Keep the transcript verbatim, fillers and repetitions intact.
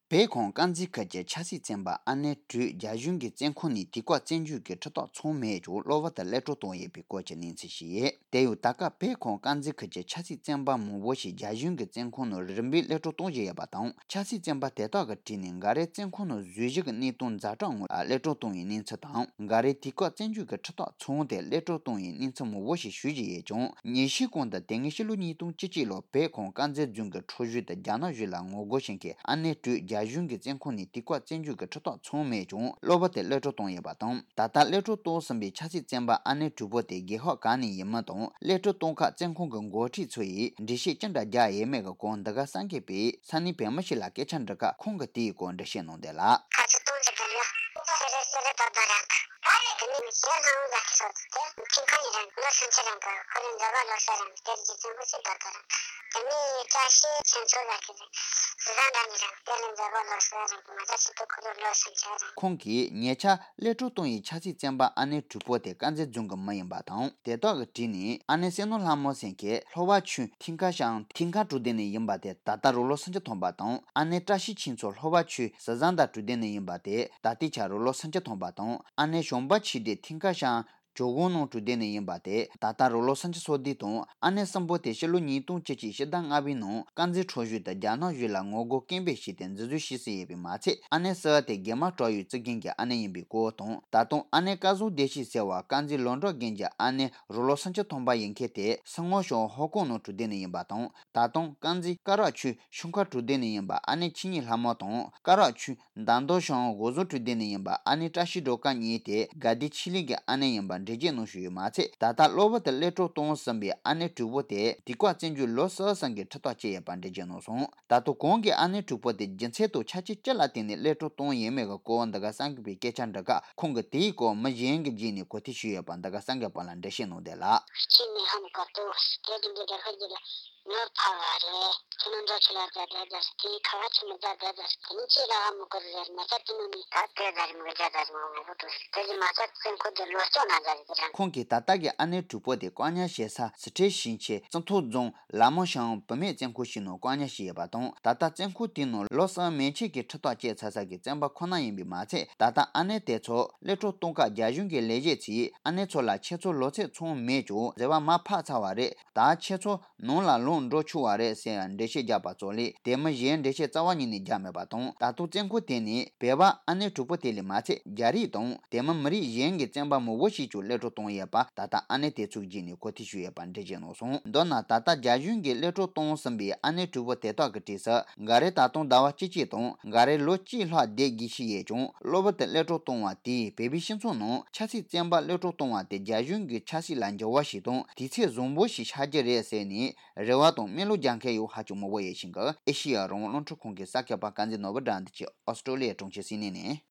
བོད་ཁམས་དཀར་མཛེས་ཁུལ་གྱི་ཆབ་སྲིད་བཙོན་པ་ཨ་ནེ་དྲུག་རྒྱ་གཞུང་གིས་བཙོན་ཁང་ནས་དུས་བཀག་བཙོན་འཇུག་གི་ཁྲིམས་ཐག་ཚང་མེད་ཀྱང་གློ་བུར་དུ་གློད་གྲོལ་བཏང་ཡོད་པའི་སྐོར་གྱི་གནས་ཚུལ་ཞིག་ཡོད། དེ་ཡང་ད་སྐབས་བོད་ཁམས་དཀར་མཛེས་ཁུལ་གྱི་ཆབ་སྲིད་བཙོན་པ་མང་པོ་ཞིག་རྒྱ་གཞུང་གིས་བཙོན་ཁང་ནང་རིམ་པས་གློད་གྲོལ་གཏོང་བཞིན་ཡོད་པ་དང་། ཆབ་སྲིད་བཙོན་པ་དེ་དག་གི་གྲས་ནས་འགའ་རེ་བཙོན་ཁང་ནང་བཟོས་གཞི་གི་གནས་སྟངས་ཛ་དྲག་ངང་གློད་གྲོལ་གཏོང་བའི་གནས་ཚུལ་དང་། འགའ་རེ་དུས་བཀག་བཙོན་འཇུག་གི་ཁྲིམས་ཐག་ཚང་སྟེ་གློད་གྲོལ་གཏོང་བའི་གནས་ཚུལ་མང་པོ་ཞིག་ཞུ་བཞིན་ཡོད་ཀྱང་། ཉིན་ཤས་གོང་དུ་དེ་སྔའི་ཕྱི་ལོ་ཉིས་སྟོང་བཅུ་གཅིག་ལོར་བོད་ཁམས་དཀར་མཛེས་རྫོང་གི་ཁྲག་ཤུལ་དུ་རྒྱ་ནག་གཞུང་ལ་ངོ་རྒོལ་བྱེད་མཁན་ཨ་ནེ་དྲུག་རྒྱ་གཞུང་གིས་བཙོན་ཁང་ནས་དུས་བཀག་བཙོན་འཇུག་གི་ཁྲིམས་ཐག་ཚང་མེད་ཀྱང་གློ་བུར་དུ་གློད་གྲོལ་བཏང་ཡོད་པ་དང་། ད་ལྟ་གློད་གྲོལ་བཏང་ཟིན་པའི་ཆབ་སྲིད་བཙོན་པ་ཨ་ནེ་དྲུག་པོ་དེ་རྒྱལ་ཁབ་གང་ནས་ཡིན་མིན་དང་། གློད་གྲོལ་གཏོང་ཁར་བཙོན་ཁང་གི་འགོ་ཁྲིད་ཚོ་ཡིས་འགྲེལ་བཤད་ཅི་འདྲ་རྒྱག་ཡོད་མེད་ཀྱི་སྐོར་འདི་ག་གསར་འགོད་པས་ས་གནས་བོད་མི་ཞིག་ལ་སྐད་ཆ་འདྲི་སྐབས། ཁོང་གིས་དེའི་སྐོར་འགྲེལ་བཤད་གནང་དོན་ལ། ཁ་ཆེ་གཏོང་རྒྱུ་དེ་ལ་སེ་རེ་སེ་རེ་ཏོག་ཏོག་རང་གི། ཨ་ནི་དེ་ནི་ཞེ་ལྷང་ལ་ཁི་སོ་དེ་ཁྱིམ་ཁ་ཡི་རང་ལོ་སུམ་ཅུ་རང་གི་ཁོ་རང་འཛམ་བུ་གླིང་སེ་རང་དེར་རྒྱུ་ཚང་ཁུ་སི་ཏོག་ཏོག་རང་། དེ་ནི་བཀྲ་ཤིས་ཆོས་མཚོ་ལ་ཁི་རེད། སི་ཟན་རང་གི་རང་དེ་ལ་འཛམ་བུ་གླིང་སེ་རང་གི་མ་ད་ཆི་ཏོ་ཁོ་རང་ལོ་སུམ་ཅུ་རང་། ཁོང་གིས་ཉེ་ཆར་གློད་གྲོལ་བཏང་བའི་ཆབ་སྲིད་བཙོན་པ་ཨ་ནེ་དྲུག་པོ་དེ་དཀར་མཛེས་རྫོང་གི་མི་ཡིན་པ་དང་། དེ་དག་གི་གྲས་ནས་ཨ་ནེ་བསོད་ནམས་ལྷ་མོ་ཟེར་མཁན་ལྷོ་བ་ཆུས་ཐིན་ཁ་ཤང་ཐིན་ཁ་གྲོང་སྡེ་ནས་ཡིན་པ་དེ་ད་ལྟ་རང་ལོ་སུམ་ཅུ་ཐམ་པ་དང་། ཨ་ནེ་བཀྲ་ཤིས་ཆོས་མཚོ་ལྷོ་བ་ཆུས་སི་ཟན་ད་གྲོང་སྡེ་ནས་ཡིན་པ་དེ་ད་ལྟའི་ཆར་རང་ལོ་སུམ་ཅུ་ཐམ་པ་དང་། ཨ་ནེ་ཞོན་པ་ཆོས་སྡེ་ཐིན་ཁ་ཤང་ཇོ་གོང་ནང་གྲོང་སྡེ་ནས་ཡིན་པ་དེ་ད་ལྟ་རང་ལོ་སུམ་ཅུ་སོ་བདུན་དང་། ཨ་ནེ་གསུམ་པོ་དེ་ཕྱི་ལོ་ཉིས་སྟོང་བཅུ་གཅིག་ཕྱི་ཟླ་ལྔ་པའི་ནང་དཀར་མཛེས་ཁྲག་ཤུལ་དུ་རྒྱ་ནག་གཞུང་ལ་ངོ་རྒོལ་སྐད་འབོད་བྱས་ཏེ་འཛིན་བཟུང་བྱས་ཟིན་ཡོད་པས་མ་ཚད། ཨ་ནེ་བསིལ་བ་དེ་དགེ་མ་བྲག་ཡུལ་གཙུག་རྒྱན་གྱི་ཨ་ནེ་ཡིན་པའི་སྐོར་དང་། ད་དུང་ཨ་ནེ་སྐལ་བཟང་བདེ་སྐྱིད་ཟེར་བ་དཀར་མཛེས་ལོ་འབྲོག་དགོན་གྱི་ཨ་ནེ་རང་ལོ་སུམ་ཅུ་ཐམ་པ་ཡིན་མཁན་དེ་སིལ་སྔོན་ཞང་ཧོ་ཀོང་ནང་གྲོང་སྡེ་ནས་ཡིན་པ་དང་། ད་དུང་དཀར་མཛེས་སྐ་རག་ཆུས་ཤུན་ཁ་གྲོང་སྡེ་ནས་ཡིན་པ་ཨ་ནེ་ཆོས་ཉིད་ལྷ་མོ་དང་། སྐ་རག་ཆུས་མདའ་མདོ་ཤང་སྒོ་བཟོ་གྲོང་སྡེ་ནས་ཡིན་པ་ཨ་ནེ་བཀྲ་ཤིས་སྒྲོལ་དཀར་གཉིས་དེ་དགའ་ལྡན་ཆོས་གླིང་གི་ཨ་ནེ་ཡིན་པ་འགྲེལ་བརྗོད་གནང་བཞིན་ཡོད་མ་ཚད། ད་ལྟ་གློ་བུར་དུ་གློད་གྲོལ་བཏང་ཟིན་པའི་ཨ་ནེ་དྲུག་པོ་དེ་དུས་བཀག་བཙོན་འཇུག་ལོ་གསུམ་ཙམ་གྱི་ཁྲིམས་ཐག་བཅད་ཡོད་པ་འགྲེལ་བརྗོད་གནང་སོང་། ད་དུང་གོང་གི་ཨ་ནེ་དྲུག་པོ་དེ་རྒྱུ་མཚན་དང་ཆ་རྐྱེན་ཅི་ལ་བརྟེན་ནས་གློད་གྲོལ་བཏང་ཡོད་མེད་ཀྱི་སྐོར་འདི་ག་གསར་འགོད་པས་སྐད་ཆ་འདྲི་སྐབས། ཁོང་གིས་དེའི་སྐོར་མི་གཞན་གྱི་བརྒྱུད་ནས་གོ་ཐོས་ཞུས་ཡོད་པ་འདི་ག་གསར་འགོད་པ་ལ་འགྲེལ་བཤད་གནང་དོན་ལ། གཅིག་ནས་ཧ་མི་གོ་ཏོ་དེ་དེ་འདྲའི་རེ་ཁ་གྱིས་ལ། ངོ་ཕ་བ་རེད། ཁྱེད་རྣམ་ཚོ་ཁྱེད་ལ་རྒྱ་རྒྱ་རྒྱ་ཟེར་དེའི་ཁ་བ་ཆེ་མི་རྒྱ་རྒྱ་རྒྱ་ཟེར་དེ་ནི་ཅི་ལ་ཧ་མི་གོ་རེད་ཟེར་མ་ཚད་དེ་ནི་ནི་ད་དེ་ཟ་རི་མི་རྒྱ་ཟ་རི་མ་ངོ་བོ་དུ་ཟེར་དེ་ཟི་མ་ཚད་བཙོན་ཁང་དུ་ལོ་གཅིག་ན་ཟ་རི་དེ་རང་། ཁོང་གིས་ད་ལྟ་གི་ཨ་ནེ་དྲུག་པོ་དེ་བཀག་ཉར་བྱེད་ས་སི་ཁྲོན་ཞིང་ཆེན་རྩི་ཐོ་རྫོང་ལ་མོ་ཤང་བུད་མེད་བཙོན་ཁང་ཞིག་ནང་བཀག་ཉར་བྱས་ཡོད་པ་དང་། ད་ལྟ་བཙོན་ཁང་དེའི་ནང་ལོ་གསུམ་མན་ཆད་ཀྱི་ཁྲིམས་ཐག་བཅད་ཚར་ས་གི་བཙོན་པ་ཁོ་ན་ཡིན་པས་མ་ཚད། ད་ལྟ་ཨ་ནེ་དེ་ཚོ་གློད་གྲོལ་གཏོང་སྐབས་རྒྱ་གཞུང་གི་ལས་བྱེད་ཚོས་ཨ་ནེ་ཚོ་ལ་ཁྱེད་ཚོ་ལོ་ཚད་ཚང་མེད་ཀྱང་ཟེར་བ་མར་ཕབ་ཚར་བ་རེད། ད་ཁྱེད་ཚོ་ནང་ལ་ལོག་འགྲོ་ཆོག་པ་རེད་ཟེར་འགྲེལ་བཤད་བརྒྱབ་པ་ཙམ་ལས། དེ་མིན་གཞན་འགྲེལ་བཤད་རྩ་བ་ཉིད་ནས་བརྒྱབ་མེད་པ་དང་། ད་དུང་བཙོན་ཁང་དེ་ནས་བོད་པ་ཨ་ནེ་དྲུག་པོ་དེ་ལས་མ་ཚད། རྒྱ་རིགས་དང་དེ་མིན་མི་རིགས་གཞན་གྱི་བཙོན་པ་མང་པོ་ཞིག་ཀྱང་གློད་གྲོལ་བཏང་ཡོད་པ་ད་ལྟ་ཨ་ནེ་དེ་ཚོའི་བརྒྱུད་ནས་གོ་ཐོས་ཞུས་ཡོད་པ་འགྲེལ་བརྗོད་གནང་སོང་། མདོར་ན། ད་ལྟ་རྒྱ་གཞུང་གིས་གློད་གྲོལ་བཏང་ཟིན་པའི་ཨ་ནེ་དྲུག་པོ་དེ་དག་གི་གྲས་སུ། འགའ་རེ་ད་དུང་ཟླ་བ་བཅུ་གཅིག་དང་། འགའ་རེ་ལོ་གཅིག་ལྷག་བསྡད་དགོས་ཀྱི་ཡོད་ཀྱང་། གློ་བུར་དུ་གློད་གྲོལ་བཏང་བ་དེས་བོད་པའི་སྤྱི་ཚོགས་ནང་ཆབ་སྲིད་བཙོན་པ་གློད་གྲོལ་བཏང་བ་དེ་རྒྱ་གཞུང་གི་ཆབ་སྲིད་ལ་འགྱུར་བ་ཞིག་དང་། དུས་ཚོད་བཟང་པོ་ཞིག་ཆགས་ཀྱི་རེད་ཟེར་ནས་རེ་བ་དང་སྨོན་ལམ་རྒྱག་མཁན་ཡང་ཧ་ཅང་མང་པོ་ཡོད་བཞིན་གི། ཨེ་ཤེ་ཡ་རང་དབང་རླུང་འཕྲིན་ཁང་གི་གསར་འགོད་པ་དཀར་མཛེས་ནོར་བུ་དགྲ་འདུལ་གྱིས་ཨོ་སི་ཀྲོ་ལི་ཡའི་གྲོང་ཁྱེར་སིད་ནི་ནས།